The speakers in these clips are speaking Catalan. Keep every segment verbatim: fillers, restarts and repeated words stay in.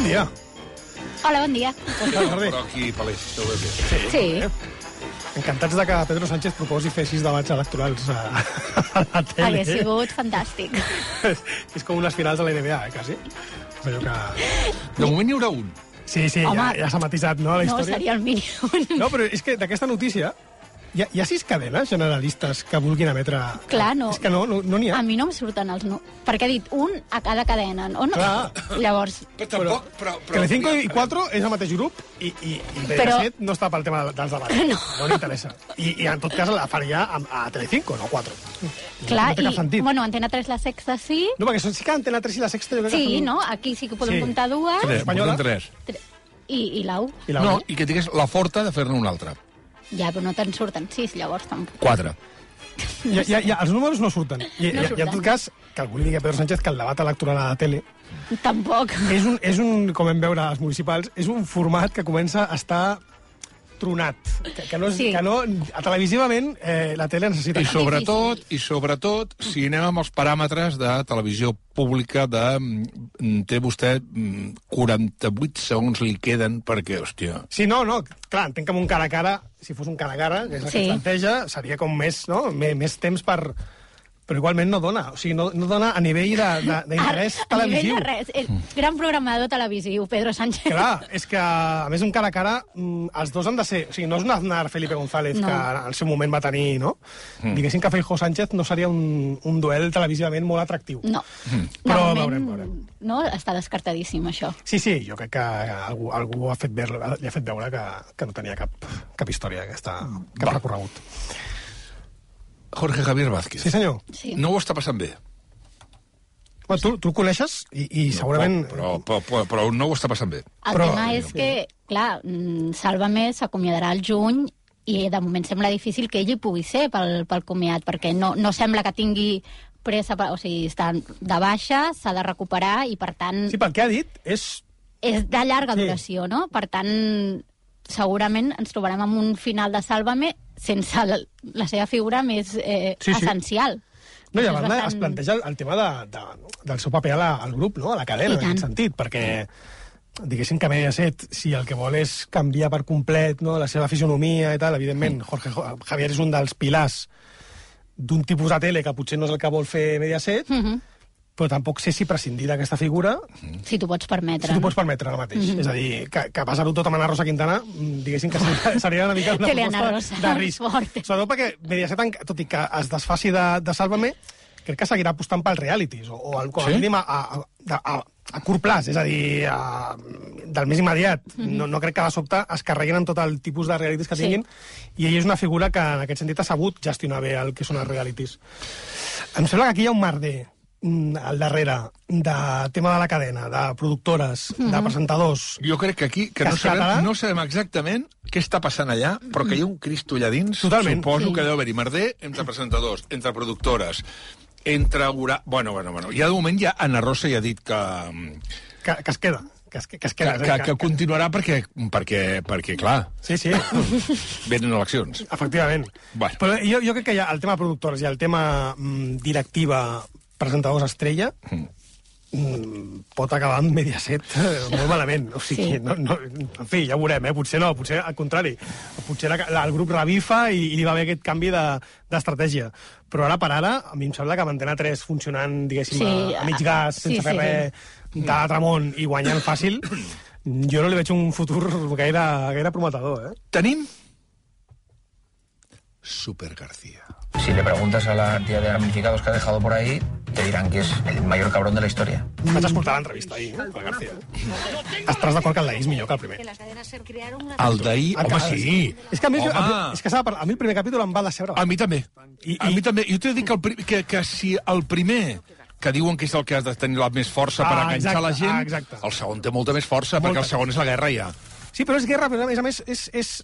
dia. Hola, bon dia. Però aquí, Palés, ho veus bé. Sí. Sí. Encantats de que Pedro Sánchez proposi fer sis debats electorals a, a la tele. Hauria sigut fantàstic. És, és com unes finals de la N B A, eh, quasi. És allò que... De moment n'hi haurà un. Sí, sí, Home, ja, ja s'ha matisat, no, la No, història? seria el mínim. No, però és que d'aquesta notícia hi ha, hi ha sis cadenes generalistes que vulguin emetre... Clar, no. És que no, no, no n'hi ha. A mi no em surten els no. Perquè ha dit un a cada cadena, no? no? Clar. Llavors, Però tampoc... Però, però, Telecinco i quatre és el mateix grup i, i, i Però- Mediaset no està pel tema dels debats. No. No li interessa. I, I en tot cas la faria a, a Telecinco, no quatre. clar, no té cap i, sentit. bueno, Antena tres, la Sexta, sí. No, perquè sí que Antena tres i la Sexta... Jo crec que Sí, són- no? Aquí sí que podem Sí. comptar dues. Tres, Espanyola. portem tres. Tre- I, i l'A U. I la No, U. i que tingués la forta de fer-ne una altra. Ja, però no te'n surten sis, llavors tampoc. Quatre. Ja, ja, ja, els números no surten. I, No no I, I en surten. tot cas, que algú li digui a Pedro Sánchez que el debat electoral a la tele Tampoc. és un, és un, com vam veure als municipals, és un format que comença a estar tronat. Que, que, no, és, Sí. que no, a televisivament eh, la tele necessita... I sobretot, i sobretot, si anem amb els paràmetres de televisió pública de... mm, té vostè mm, quaranta-vuit segons li queden perquè, hòstia... Sí, no, no, clar, entenc que amb un cara a cara, si fos un cara a cara, que és el que Sí. es planteja, seria com més, no? Més, més temps per... Però igualment no dona, o sigui, no, no dona a nivell de- de- d'interès A- a televisiu. nivell de res. És gran programador televisiu, Pedro Sánchez. Clar, és que, a més, un cara a cara, mm, els dos han de ser... O sigui, no és un Aznar Felipe González, No. que al seu moment va tenir, no? Mm. Diguéssim que Feijóo Sánchez no seria un, un duel televisivament molt atractiu. No. Però De moment, veurem, veurem. No, està descartadíssim, això. Sí, sí, jo crec que algú, algú ha fet veure, li ha fet veure que, que no tenia cap, cap història, aquesta, cap Va. recorregut. Jorge Javier Vázquez. Sí, senyor. Sí. No ho està passant bé. Bueno, tu, tu el coneixes i, i segurament... Però, però, però, però no ho està passant bé. El Però- tema és que, clar, mm, Sálvame s'acomiadarà al juny i de moment sembla difícil que ell hi pugui ser pel, pel comiat, perquè no, no sembla que tingui pressa, per, o sigui, està de baixa, s'ha de recuperar i, per tant, Sí, pel que ha dit, és... és de llarga Sí. duració, no? Per tant, segurament ens trobarem amb un final de Sálvame sense la, la seva figura més eh, Sí, sí. essencial. No, i a Això és banda bastant- es planteja el, el tema de, de, del seu paper a la, al grup, no? A la cadena, I en tant. aquest sentit, perquè diguéssim que Mediaset, si el que vol és canviar per complet, no?, la seva fisionomia i tal, evidentment, Jorge Jo- Javier és un dels pilars d'un tipus de tele que potser no és el que vol fer Mediaset, Mhm. però tampoc sé si prescindir d'aquesta figura Si t'ho pots permetre. si t'ho pots permetre ara mateix. Mhm. És a dir, que, que passar-ho tot amb Ana Rosa Quintana, mm, diguéssim que seria, seria una mica una Que li Ana proposta Rosa, de risc. fort. Sobretot perquè Mediaset, en- tot i que es desfaci de, de Sálvame, crec que seguirà apostant pels realities, o, o al- com a Sí? mínim a, a, a, a, a curt plaç, és a dir, a, del més immediat. No, no crec que de sobte es carreguin amb tot el tipus de realities que Sí. tinguin, i ell és una figura que en aquest sentit ha sabut gestionar bé el que són els realities. Em sembla que aquí hi ha un merder mm, al darrere de tema de la cadena, de productores, de presentadors. Jo crec que aquí que Que no es quedarà? sabem, no sabem exactament què està passant allà, però que hi ha un Cristo allà dins. Totalment. Suposo Sí. que deu haver-hi merder entre presentadors, entre productores, entre... hora- Bueno, bueno, bueno. Ja de moment ja Ana Rosa ja ha dit que, Que, que es queda. Que es, que es que, queda. que, que continuarà perquè, perquè, perquè, clar, Sí, sí, venen eleccions. efectivament. Bueno. Però jo, jo crec que hi ha el tema productors i el tema mm, directiva presentadors estrella mm, pot acabar amb Mediaset eh, molt malament. O sigui, Sí. no, no, en fi, ja ho veurem, eh? Potser no, potser al contrari. Potser la, la, el grup revifa i, i hi va haver aquest canvi de- d'estratègia. Però ara per ara, a mi em sembla que amb Antena tres funcionant, diguéssim, Sí, a, a mig gas, sí, sense sí, fer res, de l'Atramont i guanyant fàcil, jo no li veig un futur gaire, gaire prometedor, eh? Tenim Super García. Si le preguntas a la cantidad de damnificados que ha dejado por ahí, te dirán que es el mayor cabrón de la historia. Vaig escoltar l'entrevista ahir, eh, per García. Estàs d'acord que el d'ahir és millor que el primer? El d'ahir... El Home, que- sí. És que a mi, Home. a, és que s'ha de parlar. A mi el primer capítol em va decebre. A mi també. I- a i- mi també. Jo t'he de dir que, el, pri- que, que si el primer que diuen que és el que has de tenir la més força per Ah, enganxar exacte, la gent, ah, exacte. el segon té molta més força, Molta. perquè el segon és la guerra ja. Sí, però és guerra, però a més a més és... és...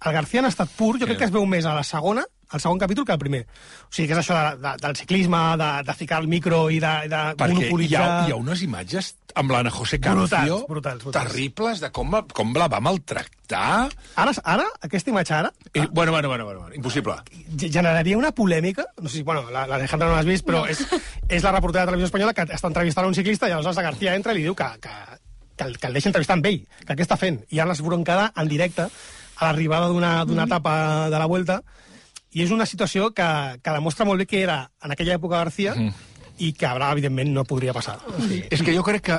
El García en estat pur, jo crec que es veu més a la segona, al segon capítol, que al primer. O sigui, que és això de, de, del ciclisme, de, de ficar el micro i de, de Perquè hi monopolitzar... ha, hi ha unes imatges amb l'Ana José Cancio Brutals, brutals, brutals. terribles de com, com la va maltractar. Ara, ara, aquesta imatge ara, I, bueno, bueno, bueno, bueno, bueno, impossible. ge- generaria una polèmica, no sé si, bueno, l'Alejandra no l'has vist, però no. és, és la reportera de Televisió Espanyola que està entrevistant un ciclista i aleshores la García entra i li diu que, que, que, el, que el deixa entrevistar amb ell, que què està fent? I ara l'esbroncada en directe a l'arribada d'una mm. etapa de la Vuelta, i és una situació que, que demostra molt bé que era en aquella època García mm. i que ara, evidentment, no podria passar. O sigui, és que jo crec que,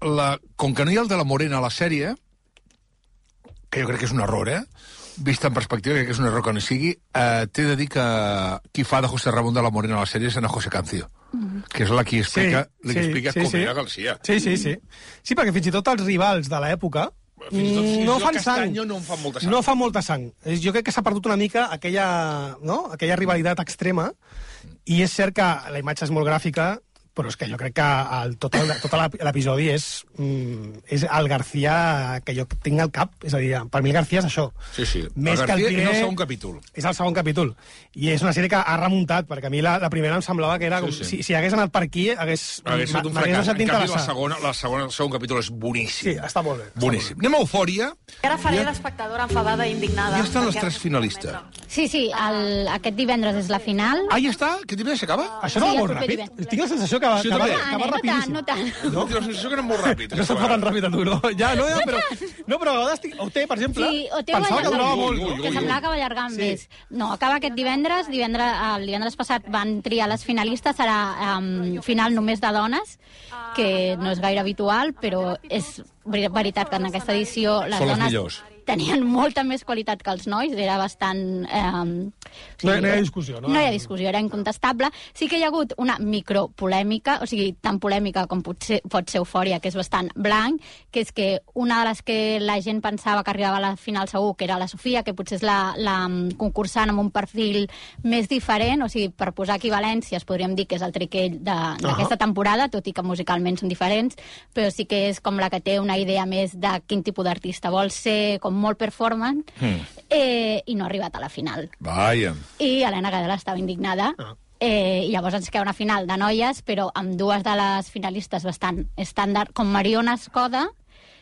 la, com que no hi ha el de la Morena a la sèrie, que jo crec que és un error, eh? Vista en perspectiva, crec que és un error que no hi sigui, eh, t'he de dir que qui fa de José Ramón de la Morena a la sèrie és Ana José Cancio, mm. que és la qui explica, sí, la qui sí, explica sí, com sí. era García. Sí, sí, sí. Sí, perquè fins i tot els rivals de l'època no fan sang. No fan molta sang. No fa molta sang. Jo crec que s'ha perdut una mica aquella, no? aquella rivalitat extrema, i és cert que la imatge és molt gràfica, però és que jo crec que el, tot, el, tot l'episodi és, mm, és el García que jo tinc al cap. És a dir, per mi el García és això. Sí, sí. Més el García que el primer, és el segon capítol. És el segon capítol. I és una sèrie que ha remuntat, perquè a mi la, la primera em semblava que era... Com, sí, sí. Si, si hagués anat per aquí, hagués... Hagués estat un fracàs. En canvi, la segona, la segona, el segon capítol és boníssim. Sí, està molt bé. Boníssim. Anem a Eufòria. Ara faré l'espectadora enfadada i indignada. Ja estan les tres finalistes. Sí, sí, el, aquest divendres és la final. Ah, ja està? Aquest divendres s'acaba? Això no va molt ràpid. Tinc la sensació que va, sí, que va, que va no rapidíssim. No tant, no tant. No? Tinc la sensació que anem molt ràpid. No se't fa tan ràpid a tu, no? Ja, no, ja, però... No, però a vegades... O té, per exemple, sí, o té pensava que durava molt. Ui, ui, ui, que semblava que va allargar sí. més. No, acaba aquest divendres. divendres el divendres passat van triar les finalistes. Serà um, final només de dones, que no és gaire habitual, però és veritat que en aquesta edició les Són dones... les millors. Tenien molta més qualitat que els nois, era bastant... Eh, o sigui, no, no hi ha discussió, no? No hi ha discussió, era incontestable. Sí que hi ha hagut una micropolèmica, o sigui, tan polèmica com pot ser, pot ser Eufòria, que és bastant blanc, que és que una de les que la gent pensava que arribava a la final segur, que era la Sofia, que potser és la, la concursant amb un perfil més diferent, o sigui, per posar equivalències, podríem dir que és el triquell d'aquesta uh-huh. temporada, tot i que musicalment són diferents, però sí que és com la que té una idea més de quin tipus d'artista vol ser, com molt performance, mm. eh, i no ha arribat a la final. Vaja. I Helena Gadela estava indignada, ah. eh, i llavors ens queda una final de noies, però amb dues de les finalistes bastant estàndard, com Mariona Escoda,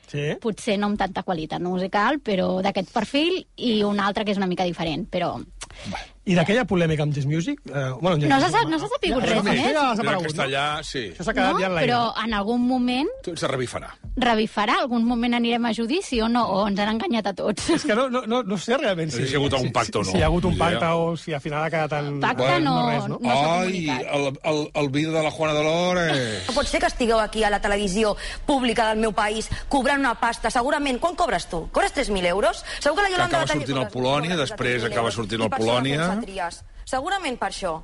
sí. potser no amb tanta qualitat musical, però d'aquest perfil, i una altra que és una mica diferent, però... I d'aquella polèmica amb Just Music? Eh, bueno, no s'ha no sapigut res més. Ja s'ha aparegut, castellà, no? Sí. Això s'ha quedat no, ja en l'aire. Però en algun moment... Se revifarà. Revifarà? Algun moment anirem a judici o no? O ens han enganyat a tots? És que no, no, no, no sé realment si, si hi ha hagut algun pacte si, o no. Si, si hi ha hagut un pacte o si al final ha quedat en... Pacte bueno, no, no, res, no? no s'ha Ai, el, el, el vídeo de la Juana Dolores... No pot ser que estigueu aquí a la televisió pública del meu país cobrant una pasta. Segurament, quan cobres tu? Cobres tres mil euros? Segur que la Yolanda... Que acaba sortint al Polònia, després acaba sortint al Polònia... Segurament per això.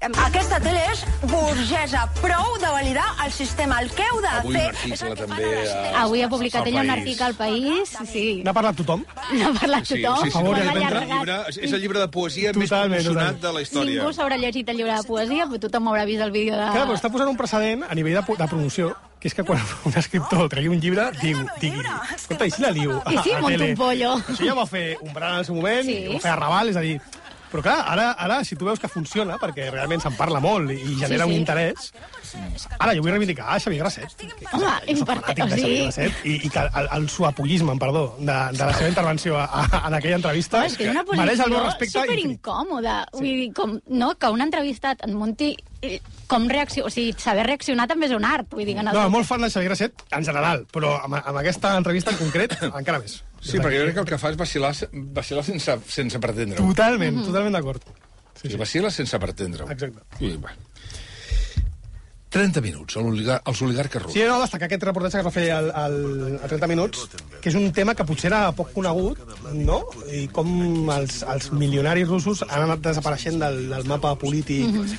Aquesta tele és burgesa. Prou de validar el sistema. El que heu de Avui fer... un article també... A... Avui ha publicat ella un article al País. Sí. N'ha parlat tothom? N'ha parlat sí, tothom. Sí, sí, sí, sí, el llibre, és el llibre de poesia totalment, més promocionat de la història. Ningú s'haurà llegit el llibre de poesia, però tothom haurà vist el vídeo de... Clar, però està posant un precedent a nivell de, de promoció, que és que quan un escriptor tregui un llibre, digui, digui escolta, i si la liu a, I si a monto tele? un pollo. Això ja va fer un bran en el seu moment, sí. ho va fer a Raval, és a dir... Però clar, ara, ara si tu veus que funciona, perquè realment se'n parla molt i genera sí, sí. un interès, ara jo vull reivindicar a Xavier Grasset, que, que, home, que soc fanàtic de Xavier Grasset, i, i que el, el suapollisme, perdó, de, de la seva intervenció a, a, en aquella entrevista és que és una mereix el meu respecte. Superincòmoda. Sí. Vull dir, com, no, que un entrevistat en munti... Com reaccionar, o sigui, saber reaccionar també és un art, vull dir que no... No, molt fan de Xavier Grasset, en general, però amb, amb aquesta entrevista en concret, encara més. Sí, perquè jo crec que el que fa és vacilar, vacilar sense, sense pretendre-ho. Totalment, mm -hmm. totalment d'acord. Sí, sí. Vacila sense pretendre-ho. Exacte. I, bueno. trenta minuts, els oligarques russos. Sí, no, destacar aquest reportatge que es va fer al, al, a trenta minuts, que és un tema que potser era poc conegut, no? I com els, els milionaris russos han anat desapareixent del, del mapa polític, mm -hmm.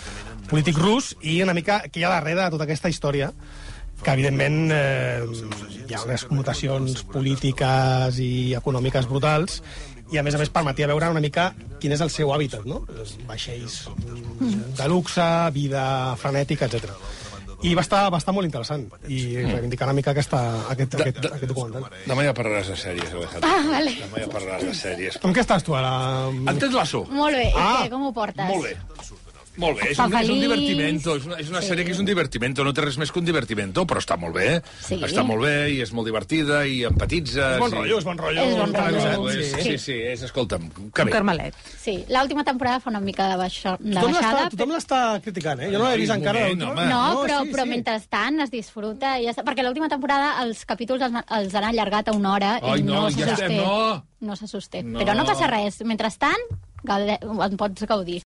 polític rus, i una mica que hi ha darrere de tota aquesta història, que evidentment eh, hi ha unes connotacions polítiques i econòmiques brutals, i a més a més permetia veure una mica quin és el seu hàbitat, no? Vaixells de luxe, vida frenètica, etcètera. I va estar, va estar molt interessant, i reivindicar una mica aquesta, aquest, de, aquest, de, aquest documental. Demà ja parlaràs de sèries, Alejandro. Ah, vale. Demà ja parlaràs de sèries. Com què estàs tu ara? En Ted Lasso. Molt bé, ah, i què, com ho portes? Molt bé. Molt bé, et és fa un, és un feliç. divertimento, és una, és una Sí. sèrie que és un divertimento, no té res més que un divertimento, però està molt bé, Sí. està molt bé i és molt divertida i empatitzes. És bon i... rotllo, és bon rotllo. És bon rotllo. televisat, Sí, sí. sí, sí, és, escolta'm, que Un bé. carmelet. Sí, l'última temporada fa una mica de, baixo, de Tothom l'està baixada. tothom l'està criticant, eh? Jo no l'he vist Ai, encara. moment, l'última. home. No, però, sí, però sí. mentrestant es disfruta. I ja està, perquè l'última temporada els capítols els, els han allargat a una hora Ai, i no, no, se ja sosté. estem, no. No se sosté. No. Però no passa res. Mentrestant, gaude- en pots gaudir.